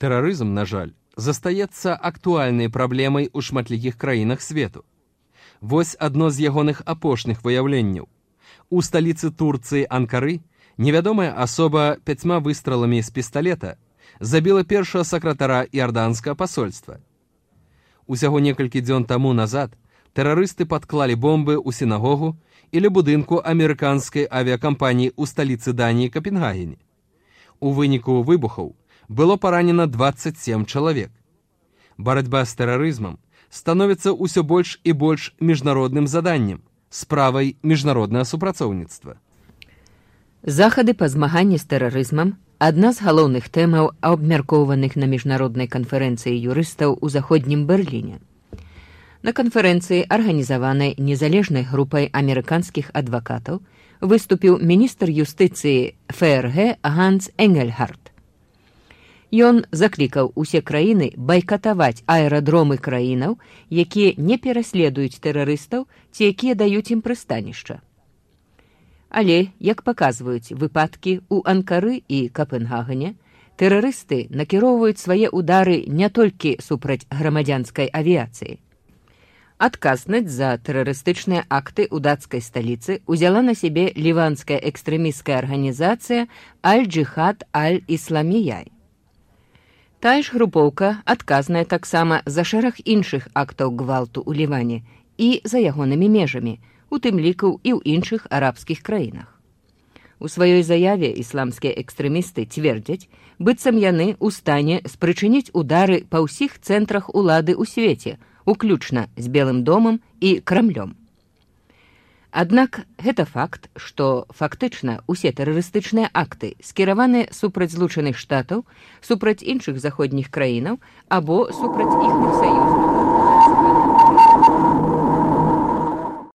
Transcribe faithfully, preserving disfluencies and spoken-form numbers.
Тэрарызм, на жаль, застаецца актуальнай праблемай у шматлікіх краінах свету. Вось адно з ягоных апошніх выяўленняў. У сталіцы Турцыі Анкары невядомая асоба пяцьма выстраламі з пісталета забіла першага сакратара іорданскага пасольства. Усяго некалькі дзён таму назад тэрарысты падклалі бомбы ў сінагогу і ля будынку амерыканскай авіякампаніі ў сталіцы Даніі Капенгагене. У выніку выбухаў было паранена дваццаць сем чалавек. Барацьба з тэрарызмам становіцца ўсё больш і больш міжнародным заданнем, справай міжнароднага супрацоўніцтва. Захады па змаганні з тэрарызмам – адна з галоўных тэмаў, абмяркоўваных на міжнароднай канферэнцыі юрыстаў у заходнім Берліне. На канферэнцыі, арганізаванай незалежнай групай амерыканскіх адвакатаў, выступіў міністр юстыцыі ФРГ Ганс Энгельгард. Ён заклікаў усе краіны байкатаваць аэрадромы краінаў, якія не пераследуюць тэрарыстаў ці якія даюць ім прыстанішча. Але, як паказваюць выпадкі ў Анкары і Капенгагене, тэрарысты накіроўваюць свае ўдары не толькі супраць грамадзянскай авіяцыі. Адказнасць за тэрарыстычныя акты ў дацкай сталіцы узяла на сябе ліванская экстрэмісцкая арганізацыя Аль-Джихад Аль-Ісламіяй. Тая ж групоўка адказная таксама за шэраг іншых актаў гвалту ў Ліване і за ягонымі межамі, у тым ліку і ў іншых арабскіх краінах. У сваёй заяве ісламскія экстрэмісты цвердзяць, быццам яны ў стане спрычыніць удары па ўсіх цэнтрах улады ў свеце, уключна з Белым домам і Крамлём. Аднак гэта факт, што фактычна ўсе тэрарыстычныя акты скіраваны супраць Злучаных Штатаў, супраць іншых заходніх краінаў або супраць іхных саюзнікаў.